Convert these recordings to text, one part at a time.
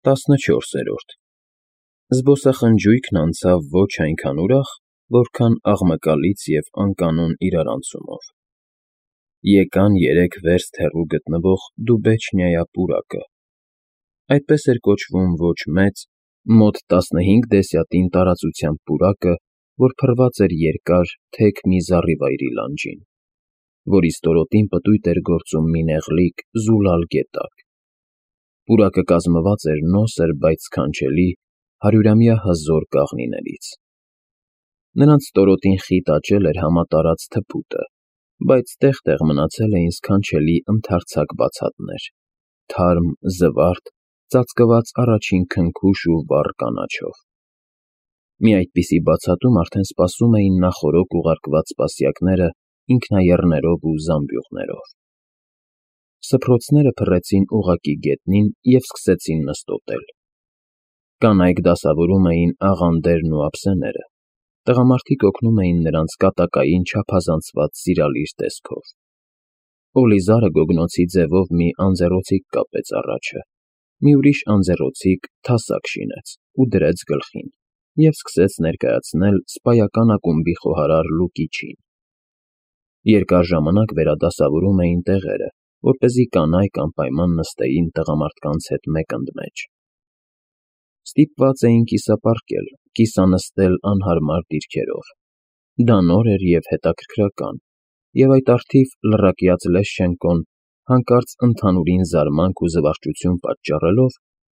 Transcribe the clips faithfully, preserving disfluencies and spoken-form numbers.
տասնչորսերորդ Զբոսախնջույքն անցավ ոչ այնքան ուրախ, որքան աղմկալից և անկանոն իրարանցումով. Եկան երեք վերստ հեռու գտնվող Դուբեչնիայա պուրակը, այդպես էր կոչվում ոչ մեծ, մոտ տասնհինգ դեսյատին տարածությամբ պուրակը, որ փռված էր երկար, թեք մի զառիվայրի լանջին, որի ստորոտին պտույտ էր գործում մի նեղլիկ, զուլալ գետակ. պուրակը կազմված էր նոսր, բայց սքանչելի, հարյուրամյա հզոր կաղնիներից. նրանց ստորոտին խիտ աճել էր համատարած թփուտը, բայց տեղ֊տեղ մնացել էին սքանչելի ընդարձակ բացատներ, թարմ, զվարթ, ծածկված առաջին քնքուշ ու վառ կանաչով. մի այդպիսի բացատում արդեն սպասում էին նախօրոք ուղարկված սպասյակները ինքնաեռներով ու զամբյուղներով. Սփռոցները փռեցին ուղղակի գետնին և սկսեցին նստոտել. կանայք դասավորում էին աղանդերն ու ափսեները, տղամարդիկ օգնում էին նրանց կատակային չափազանցված սիրալիր տեսքով. Օլիզարը գոգնոցի ձևով մի անձեռոցիկ կապեց առաջը, մի ուրիշ անձեռոցիկ թասակ շինեց ու դրեց գլխին և սկսեց ներկայացնել սպայական ակումբի խոհարար Լուկիչին. երկար ժամանակ վերադասավորում էին տեղերը, որպեսզի կանայք անպայման նստեին տղամարդկանց հետ մեկընդմեջ. Ստիպված էին կիսապառկել, կիսանստել անհարմար դիրքերով. դա նոր էր և հետաքրքրական, և այդ առթիվ լռակյաց Լեշչենկոն, հանկարծ ընդհանուրին զարմանք ու զվարճություն պատճառելով,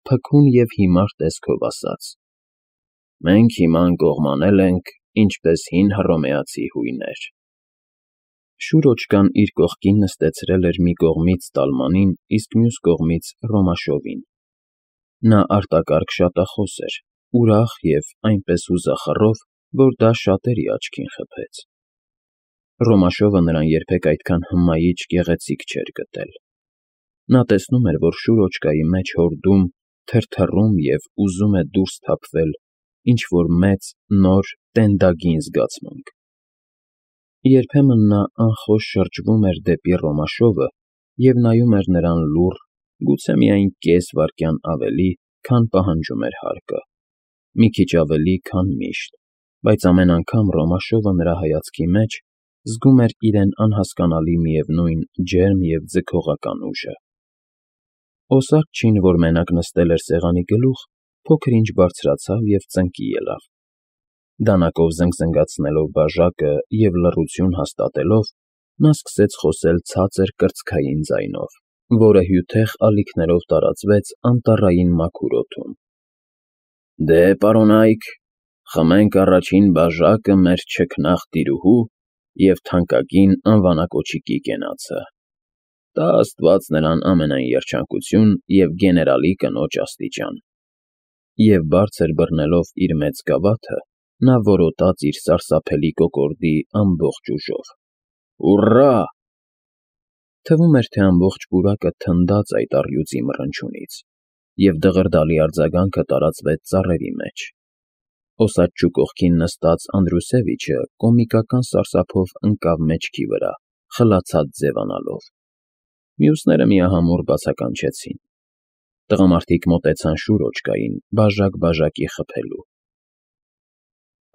փքուն և հիմար տեսքով ասաց. «Մենք հիմա ընկողմանել ենք, ինչպես հին հռոմեացի հույներ»։ Շուրոչկան իր կողքին նստեցրել էր մի կողմից Տալմանին, իսկ մյուս կողմից Ռոմաշովին. նա արտակարգ շատախոս էր, ուրախ և այնպես հուզախռով, որ դա շատերի աչքին խփեց. Ռոմաշովը նրան երբեք այդքան հմայիչ, գեղեցիկ չէր գտել. նա տեսնում էր, որ Շուրոչկայի մեջ հորդում, թրթռում և ուզում է դուրս թափվել ինչ֊որ մեծ, նոր, տենդագին զգացմունք. երբեմն նա անխոժ շրջվում էր դեպի Ռոմաշովը և նայում էր նրան լուռ, գուցե միայն կես վայրկյան ավելի, քան պահանջում էր հարկը, մի քիչ ավելի, քան միշտ, բայց ամեն անգամ Ռոմաշովը նրա հայացքի մեջ զգում էր իրեն անհասկանալի միևնույն ջերմ և ձգողական ուժը։ Օսարջին, որ մենակ նստել էր սեղանի գլուխ, փոքր-ինչ բարձրացավ և ծնկի ելավ. դանակով զնգզնգացնելով բաժակը և լռություն հաստատելով, նա սկսեց խոսել ցածր կրծքային ձայնով, որը հյութեղ ալիքներով տարածվեց անտառային մաքուր օդում. «Դե, պարոնայք, խմենք առաջին բաժակը մեր չքնաղ տիրուհու և թանկագին անվանակոչիկի կենացը. տա աստված նրան ամենայն երջանկություն և գեներալի կնոջ աստիճան»։ Եվ բարձր բռնելով իր մեծ գավաթը, նա որոտաց իր սարսափելի կոկորդի ամբողջ ուժով. «Հուռա»։ Թվում էր, թե ամբողջ պուրակը թնդաց այդ առյուծի մռնչյունից, և դղրդալի արձագանքը տարածվեց ծառերի մեջ. Օսաչու կողքին նստած Անդրուսևիչը կոմիկական սարսափով ընկավ մեջքի վրա, խլացած ձևանալով. մյուսները միահամուռ բացականչեցին. տղամարդիկ մոտեցան Շուրոչկային, բաժակ֊բաժակի խփելու: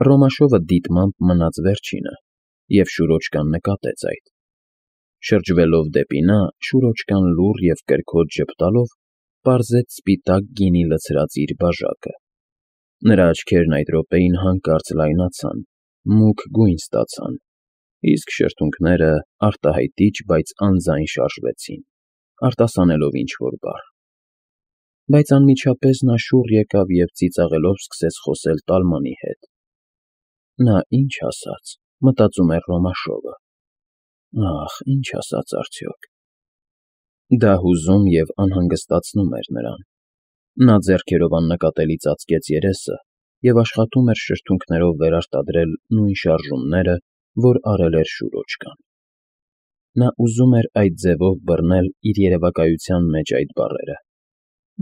Ռոմաշովը դիտմամբ մնաց վերջինը, և Շուրոչկան նկատեց այդ. շրջվելով դեպի նա, Շուրոչկան լուռ և կրքոտ ժպտալով պարզեց սպիտակ գինի լցրած իր բաժակը. նրա աչքերն այդ րոպեին հանկարծ լայնացան, մուգ գույն ստացան, իսկ շրթունքները արտահայտիչ, բայց անձայն շարժվեցին, արտասանելով ինչ֊որ բառ: Բայց անմիջապես նա շուռ եկավ և ծիծաղելով սկսեց խոսել Տալմանի հետ. «Նա ի՞նչ ասաց», մտածում էր Ռոմաշովը, «ախ, ի՞նչ ասաց արդյոք»։ Դա հուզում և անհանգստացնում էր նրան. նա ձեռքերով աննկատելի ծածկեց երեսը և աշխատում էր շրթունքներով վերարտադրել նույն շարժումները, որ արել էր Շուրոչկան: Նա ուզում էր այդ ձևով բռնել իր երևակայության մեջ այդ բառերը,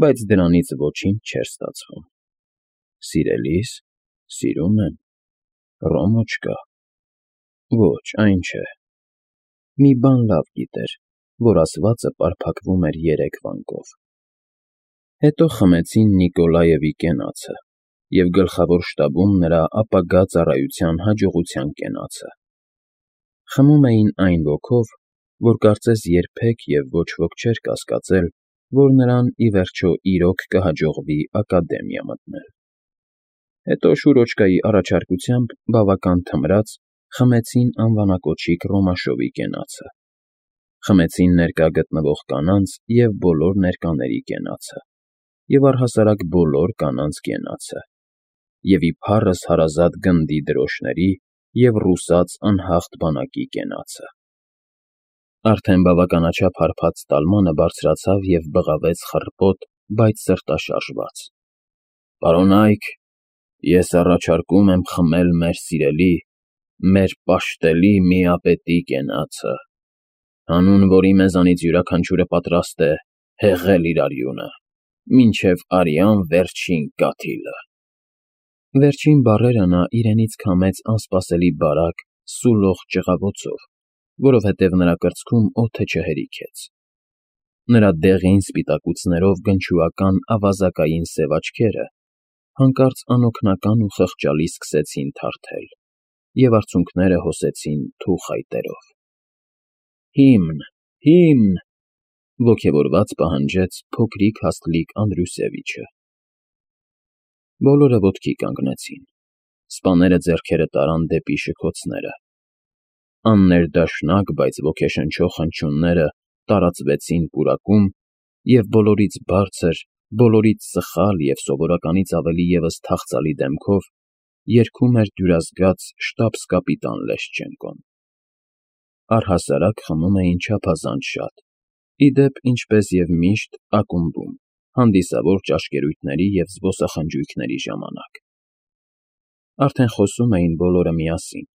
բայց դրանից ոչինչ չէր ստացվում. «Սիրելի՞ս, սիրում եմ, Ռոմոչկա, ոչ, այն չէ»։ Մի բան լավ գիտեր, որ ասվածը պարփակվում էր երեք վանկով: Հետո խմեցին Նիկոլաևի կենացը և գլխավոր շտաբում նրա ապագա ծառայության հաջողության կենացը. խմում էին այն ոգով, որ կարծես երբեք և ոչ ոք չէր կասկածել, որ նրան, ի վերջո, իրոք կհաջողվի ակադեմիա մտնել։ Հետո Շուրոջկայի առաջարկությամբ բավական թմրած խմեցին անվանակոչիկ Ռոմաշովի կենացը, խմեցին ներկա գտնվող կանանց և բոլոր ներկաների կենացը, և առհասարակ բոլոր կանանց կենացը, և իբառս հարազատ գնդի դրոշների և ռուսաց անհաղթ բանակի կենացը։ Արդեն բավականաչափ հարբած տալմանը բարձրացավ և բղավեց խռպոտ, բայց սրտաշարժված. «Պարոնա՛յք, ես առաջարկում եմ խմել մեր սիրելի, մեր պաշտելի միապետի կենացը, հանուն որի մեզանից յուրաքանչյուրը պատրաստ է հեղել իր արյունը, մինչև արյան վերջին կաթիլը»։ Վերջին բառերը նա իրենից քամեց անսպասելի բարակ, սուլող ճղավոցով, որովհետև նրա կրծքում օդը չհերիքեց։ Նրա դեղին սպիտակուցներով գնչուական ավազակային սև աչքերը հանկարծ անօգնական ու խղճալի սկսեցին թարթել, և արցունքները հոսեցին թուխ այտերով։ «Հիմն, հիմն», ոգևորված պահանջեց փոքրիկ հաստլիկ Անդրուսևիչը։ Բոլորը ոտքի կանգնեցին, սպաները ձեռքերը տարան դեպի շքոցները։ Աններդաշնակ, բայց ոգեշնչող հնչյունները տարածվեցին պուրակում, և բոլորից բարձր, բոլորից սխալ և սովորականից ավելի ևս թախծալի դեմքով երգում էր դյուրազգաց շտաբս֊կապիտան Լեշչենկոն։ Առհասարակ խմում էին չափազանց շատ, ի դեպ, ինչպես և միշտ, ակումբում, հանդիսավոր ճաշկերույթների և զբոսախնջույքների ժամանակ։ Արդեն խոսում էին բոլորը միասին,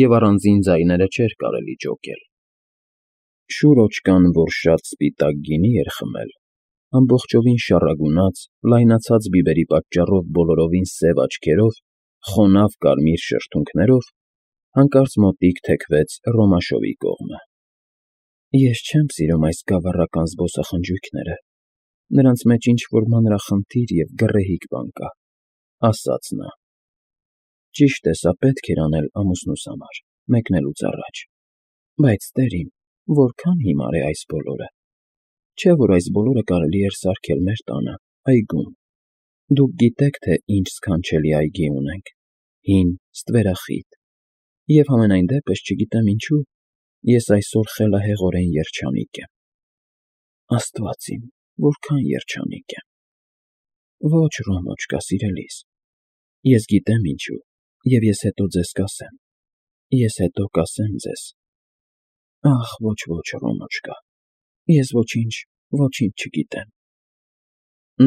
և առանձին ձայները չէր կարելի ջոկել։ Շուրոջկան, որ շատ սպիտակ գինի էր խմել, ամբողջովին շառագունած, լայնացած բիբերի պատճառով բոլորովին սև աչքերով, խոնավ կարմիր շրթունքներով, հանկարծ մոտիկ թեքվեց Ռոմաշովի կողմը։ «Ես չեմ սիրում այս գավառական զբոսախնջույքները, նրանց մեջ ինչ֊որ մանրախնդիր և գռեհիկ բան կա», ֊ ասաց նա։ «Ճիշտ է, սա պետք էր անել ամուսնուս համար, մեկնելուց առաջ, բայց, տեր իմ, որքան հիմար է այս բոլորը։ Չէ՞ որ այս բոլորը կարելի էր սարքել մեր տանը, այգում։ Դուք գիտեք, թե ինչ սքանչելի այգի ունենք՝ հին, ստվերախիտ, և համենայն դեպս, չգիտեմ ինչու, ես այսօր խելահեղորեն երջանիկ եմ։ Աստված իմ, որքան երջանիկ եմ։ Ոչ, Ռոմոջկա, սիրելիս, ես գիտեմ ինչու, և ես հետո ձեզ կասեմ, ես հետո կասեմ ձեզ։ Ախ, ոչ, ոչ, Ռոմոջկա, ես ոչինչ, ոչինչ չգիտեմ»։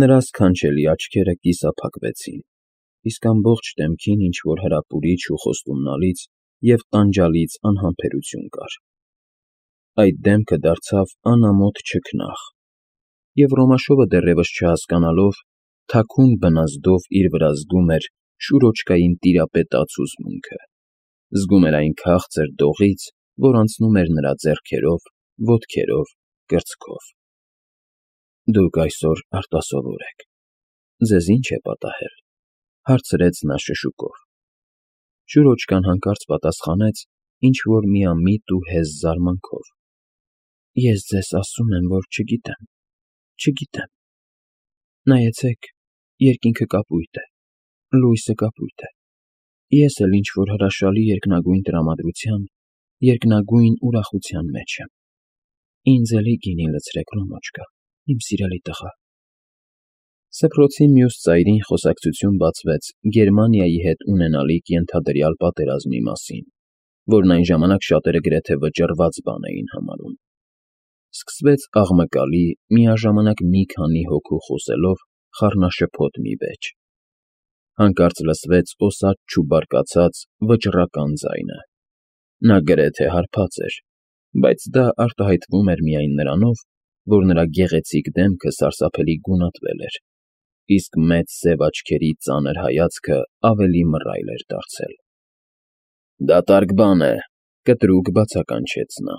Նրա սքանչելի աչքերը կիսափակվեցին, իսկ ամբողջ դեմքին ինչ֊որ հրապուրիչ ու խոստումնալից և տանջալից անհամբերություն կար։ Այդ դեմքը դարձավ անամոթ չքնաղ, և Ռոմաշովը դեռևս չհասկանալով, թաքուն բնազդով իր վրա զգում էր Շուրոջկային տիրապետած հուզմունքը, զգում էր այն քաղցր դողից, որ անցնում էր նրա ձեռքերով, ոտքերով, կրծքով։ «Դուք այսօր արտասովոր եք, ձեզ ի՞նչ է պատահել», ֊ հարցրեց նա շշուկով։ Շուրոջկան հանկարծ պատասխանեց ինչ֊որ միամիտ ու հեզ զարմանքով. «Ես ձեզ ասում եմ, որ չգիտեմ, չգիտեմ։ Նայեցեք, երկինքը կապույտ է, լույսը կապույտ է, ես էլ ինչ֊որ հրաշալի երկնագույն տրամադրության, երկնագույն ուրախության մեջ եմ։ Ինձ էլի գինի լցրեք, Ռոմոջկա, իմ սիրելի տղա»։ Սփռոցի մյուս ծայրին խոսակցություն բացվեց Գերմանիայի հետ ունենալիք ենթադրյալ պատերազմի մասին, որն այն ժամանակ շատերը գրեթե վճռված բան էին համարում։ Սկսվեց աղմկալի, միաժամանակ մի քանի հոգու խոսելով խառնաշփոթ մի վեճ։ Հանկարծ լսվեց օսաց ու բարկացած վճռական ձայնը։ Նա գրեթե հարբած էր, բայց դա արտահայտվում էր միայն նրանով, որ նրա գեղեցիկ դեմքը սարսափելի գունատվել էր, իսկ մեծ սև աչքերի ծանր հայացքը ավելի մռայլ էր դարձել։ «Դատարկ բան է», ֊ կտրուկ բացականչեց նա։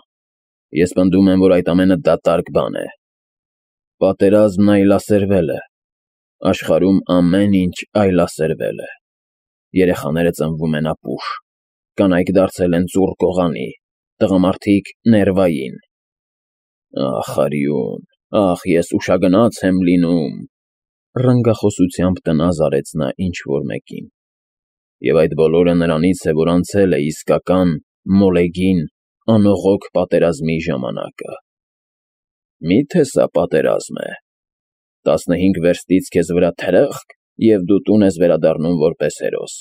«Ես պնդում եմ, որ այդ ամենը դատարկ բան է։ Պատերազմն այլասերվել է, Աշխարհում ամեն ինչ այլասերվել է։ Երեխաները ծնվում են ապուշ, կանայք դարձել են ծուռ կողանի, տղամարդիկ՝ ներվային։ Ախ, արյուն, ախ, ես ուշագնաց եմ լինում, ռնգախոսությամբ տնազ արեց նա ինչ֊որ մեկին։ Եվ այդ բոլորը նրանից է, որ անցել է իսկական, մոլեգին, անողոք պատերազմի ժամանակը։ Մի՞թե սա պատերազմ է։ Տասնհինգ վերստից քեզ վրա թրախկ, և դու տուն ես վերադառնում որպես հերոս։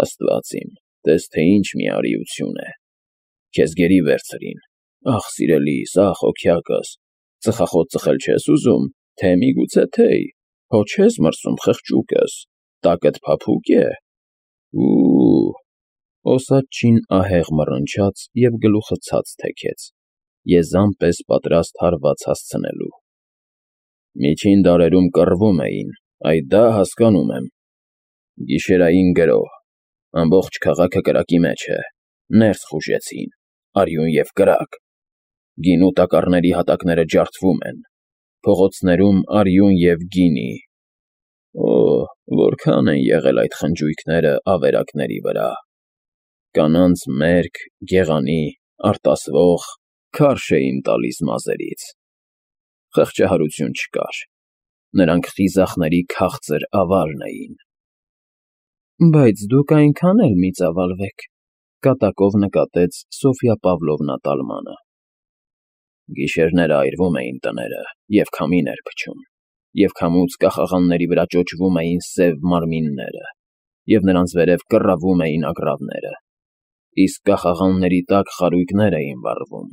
Աստված իմ, տես թե ինչ մի արիություն է։ Քեզ գերի վերցրին, ախ, սիրելիս, ախ, հոգյակս, ծխախոտ ծխել չես ուզում, թե միգուցե թեյ, հո չես մրսում խղճուկս, տակդ փափուկ է։ Ու… Օսաչին ահեղ մռնչաց և գլուխը ցած թեքեց, եզան պես պատրաստ հարված հասցնելու։ Միջին դարերում կռվում էին, այդ դա հասկանում եմ։ Գիշերային գրոհ, ամբողջ քաղաքը կրակի մեջ է, ներս խուժեցին, արյուն և կրակ, գինու տակառների հատակները ջարդվում են, փողոցներում արյուն և գինի։ Օ՜, որքա՜ն են եղել այդ խնջույքները ավերակների վրա։ Կանանց մերկ, գեղանի, արտասվող, քարշ էին տալիս մազերից։ Խղճահարություն չկար, նրանք խիզախների քաղցր ավարն էին։ Բայց դուք այնքան էլ մի ծավալվեք, կատակով նկատեց Սոֆյա Պավլովնա տալմանը։ Գիշերները այրվում էին տները, և քամին էր փչում, և քամուց կախաղանների վրա ճոճվում էին սև մարմինները, և նրանց վերև կռավում էին ագռավները, իսկ կախաղանների տակ խարույկներ էին վառվում,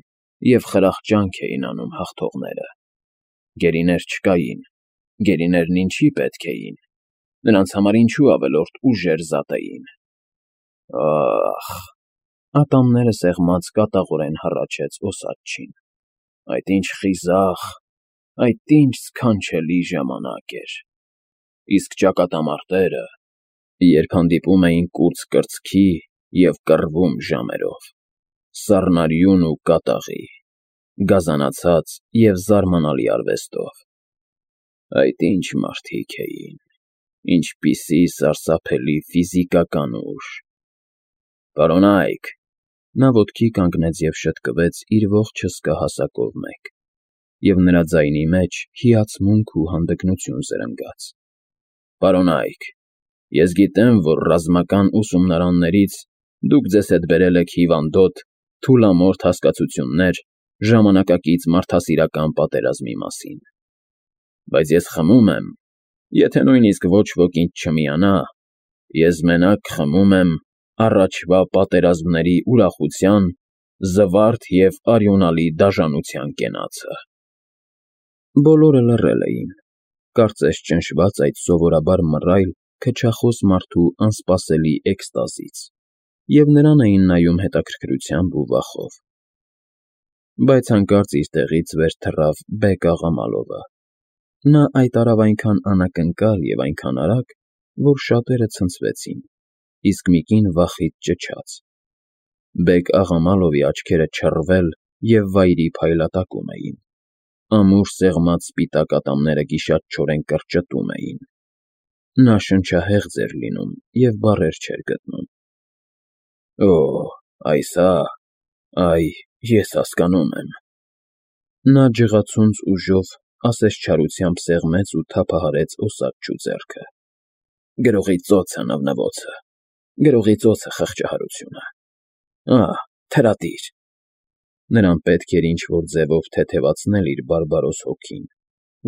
և խրախճանք էին անում հաղթողները։ Գերիներ չկային, գերիներն ինչի պետք էին, նրանց համար ինչու ավելորդ ուժեր զատեին։ Ա՜խ… Ատամները սեղմած կատաղորեն հառաչեց Օսաչին։ Այդ ինչ խիզախ, այդ ինչ սքանչելի ժամանակ էր։ Իսկ ճակատամարտերը, երբ հանդիպում էին կուրծ կրծքի և կռվում ժամերով, սառնարյուն ու կատաղի, գազանացած և զարմանալի արվեստով։ Այդ ինչ մարդիկ էին, ինչպիսի սարսափելի ֆիզիկական ուժ։ Պարոնա՛յք, նա ոտքի կանգնեց և շտկվեց իր ողջ հսկա հասակով մեկ, և նրա ձայնի մեջ հիացմունք ու հանդգնություն զրնգաց։ Պարոնա՛йք, ես գիտեմ, որ ռազմական ուսումնարաններից դուք ձեզ հետ բերել եք հիվանդոտ, թուլամորթ հասկացություններ ժամանակակից մարդասիրական պատերազմի մասին։ Բայց ես խմում եմ, եթե նույնիսկ ոչ ոք ինձ չմիանա, ես մենակ խմում եմ առաջվա պատերազմների ուրախության, զվարթ և արյունալի դաժանության կենացը։ Բոլորը լռել էին, կարծես ճնշված այդ սովորաբար մռայլ, քչախոս մարդու անսպասելի էքստազից, և նրան էին նայում հետաքրքրությամբ ու վախով։ Բայց հանկարծ իր տեղից վեր թռավ Բեկ֊աղա Մալովը։ Նա այդ արավ այնքան անակնկալ և այնքան արագ, որ շատերը ցնցվեցին, իսկ մի կին վախից ճչաց։ Բեկ֊աղա Մալովի աչքերը չռվել և վայրի փայլատակում էին, ամուր սեղմած սպիտակ ատամները գիշատչորեն կրճտում էին։ Նա շնչահեղձ էր լինում և բառեր չէր գտնում։ Օ՜, այս ա՞, այ, ես հասկանում եմ։ Նա ջղացունց ուժով ասես չարությամբ սեղմեց ու թափահարեց Օսաչու ձեռքը։ Գրողի ծոցը, նվնվոցը, գրողի ծոցը, խղճահարությունը։ Ահ, թրատիր… Նրան պետք էր ինչ֊որ ձևով թեթևացնել իր բարբարոս հոգին,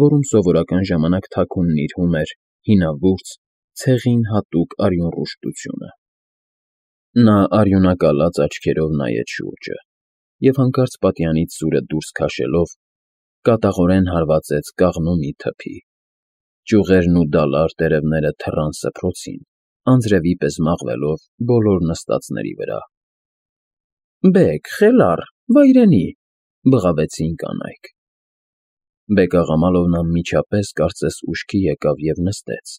որում սովորական ժամանակ թաքուն նիրհում էր հինավուրց, ցեղին հատուկ արյունռուժտությունը։ Նա արյունակալած աչքերով նայեց շուրջը և հանկարծ պատյանից սուրը դուրս քաշելով, կատաղորեն հարվածեց կաղնու մի թփի։ Ճյուղերն ու դալար տերևները թռան սփռոցին, անձրևի պես մաղվելով բոլոր նստածների վրա։ Բեկ, խելառ, վայրենի… բղավեցին կանայք։ Բեկ֊աղա Մալովն անմիջապես կարծես ուշքի եկավ և նստեց։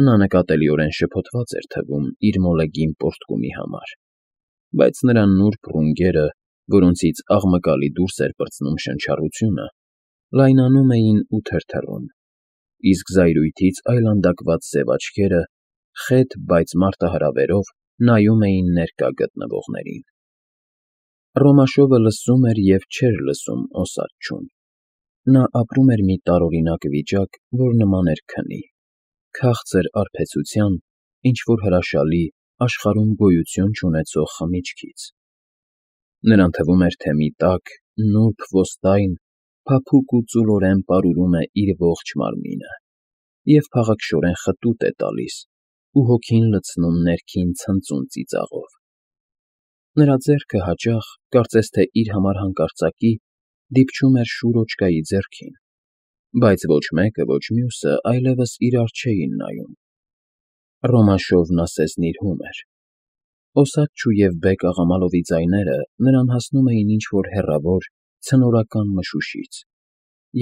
Նա նկատելիորեն շփոթված էր թվում իր մոլեգին պոռթկումի համար, բայց նրա նուրբ ռունգերը, որոնցից աղմկալի դուրս էր պրծնում շնչառությունը, լայնանում էին ու թրթռում։ իսկ զայրույթից այլանդակված սև աչքերը, խետ, բայց մարտահրավերով նայում էին ներկա գտնվողներին։ Ռոմաշովը լսում էր և չէր լսում Օսաչչուն։ Նա ապրում էր մի տարօրինակ վիճակ, որ նման էր քնի, քաղցր արբեցության, ինչ-որ հրաշալի, աշխարհում գոյություն չունեցող խմիչքից։ Նրան թվում էր, թե մի տաք, նուրբ ոստայն փափուկ ու ծուլորեն պարուրում է իր ողջ մարմինը և փաղաքշորեն խտուտ է տալիս ու հոգին լցնում ներքին ցնծուն ծիծաղով։ Նրա ձեռքը հաճախ, կարծես թե իր համար հանկարծակի, դիպչում էր շուր օջկայի ձեռքին, բայց ոչ մեկը, ոչ մյուսը այլևս իրար չէին նայում։ Ռոմաշովն ասես նիրհում էր։ Օսաչչու և Բեկ-աղամալովի ձայները նրան հասնում էին ինչ֊որ հեռավոր, ցնորական մշուշից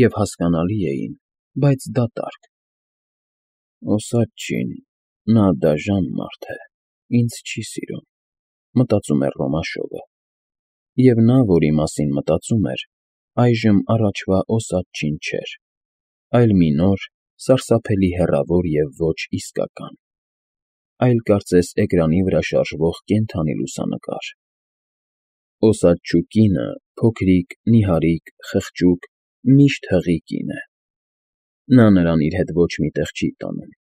և հասկանալի էին, բայց դատարկ։ «Օսաչչին, նա դաժան մարդ է, ինձ չի սիրում», մտածում էր Ռոմաշովը, և նա, որի մասին մտածում էր, այժմ առաջվա Օսաչչին չէր, այլ մի նոր, սարսափելի հեռավոր և ոչ իսկական, այլ կարծես էկրանի վրա շարժվող կենդանի լուսանկար։ Օսաչչու կինը փոքրիկ, նիհարիկ, խղճուկ, միշտ հղի կին է։ Նա նրան իր հետ ոչ մի տեղ չի տանում։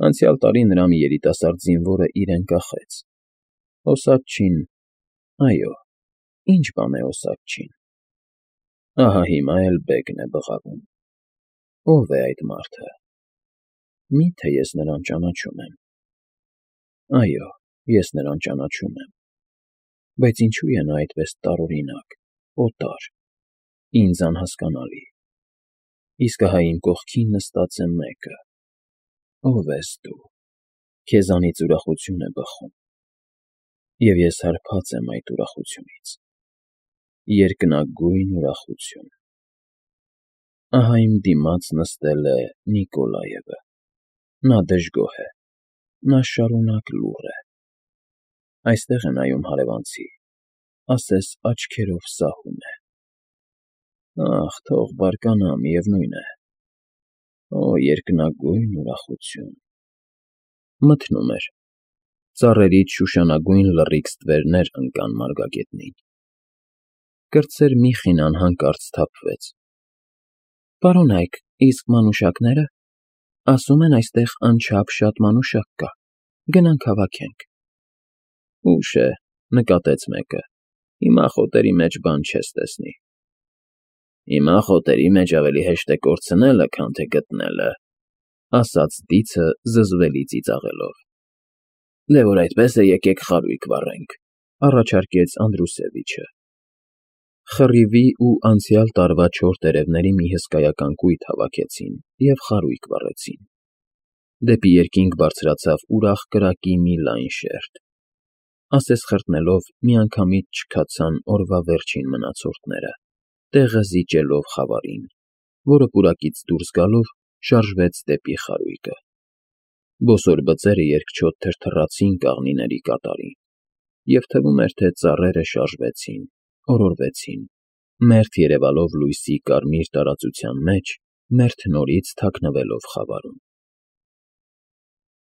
Անցյալ տարի նրա մի երիտասարդ զինվորը իրեն կախեց։ Օսաչչին… այո, ի՞նչ բան է Օսաչչին։ Ահա հիմա էլ Բեգն է բղավում։ Ո՞վ է այդ մարդը։ Մի՞թե ես նրան ճանաչում եմ։ Այո, ես նրան ճանաչում եմ։ Բայց ինչո՞ւ է նա այդպես տարօրինակ, օտար, ինձ անհասկանալի։ Իսկ ահա իմ կողքին նստած է մեկը… Ո՞վ ես դու։ Քեզանից ուրախություն է բխում, և ես հարբած եմ այդ ուրախությունից… երկնագույն ուրախություն… Ահա իմ դիմաց նստել է Նիկոլաևը… Նա դժգոհ է, նա շարունակ լուռ է… Այստեղ է նայում հարևանցի, ասես աչքերով սահում է… Ախ, թող բարկանա, միևնույն է… Օ, երկնագույն ուրախություն… Մթնում էր… Ծառերից շուշանագույն լռիք ստվերներ ընկան մարգագետնին… Կրտսեր մի խինան հանկարծ սթափվեց… Պարոնա՛յք, իսկ մանուշակնե՞րը… Ասում են այստեղ անչափ շատ մանուշակ կա, գնանք հավաքենք… Ուշ է, նկատեց մեկը, հիմա խոտերի մեջ բան չես տեսնի… Հիմա խոտերի մեջ ավելի հեշտ է կորցնելը, քան թե գտնելը, ասաց դիցը զզվելի ծիծաղելով։ Դե որ այդպես է, եկեք խարույկ վառենք, առաջարկեց Անդրուսևիչը։ Խռիվի ու անցյալ տարվա չոր տերևների մի հսկայական կույտ հավաքեցին և խարույկ վառեցին։ Դեպի երկինք բարձրացավ ուրախ կրակի մի լայն շերջ… Ասես խրտնելով, միանգամից չքացան օրվա վերջին մնացորդները, տեղը զիջելով խավարին, որը պուրակից դուրս գալով շարժվեց դեպի խարույկը։ Բոսոր բծերը երկչոտ թրթռացին կաղնիների կատարին, և թվում էր, թե ծառերը շարժվեցին, օրորվեցին, մերթ երևալով լույսի կարմիր տարածության մեջ, մերթ նորից թաքնվելով խավարում։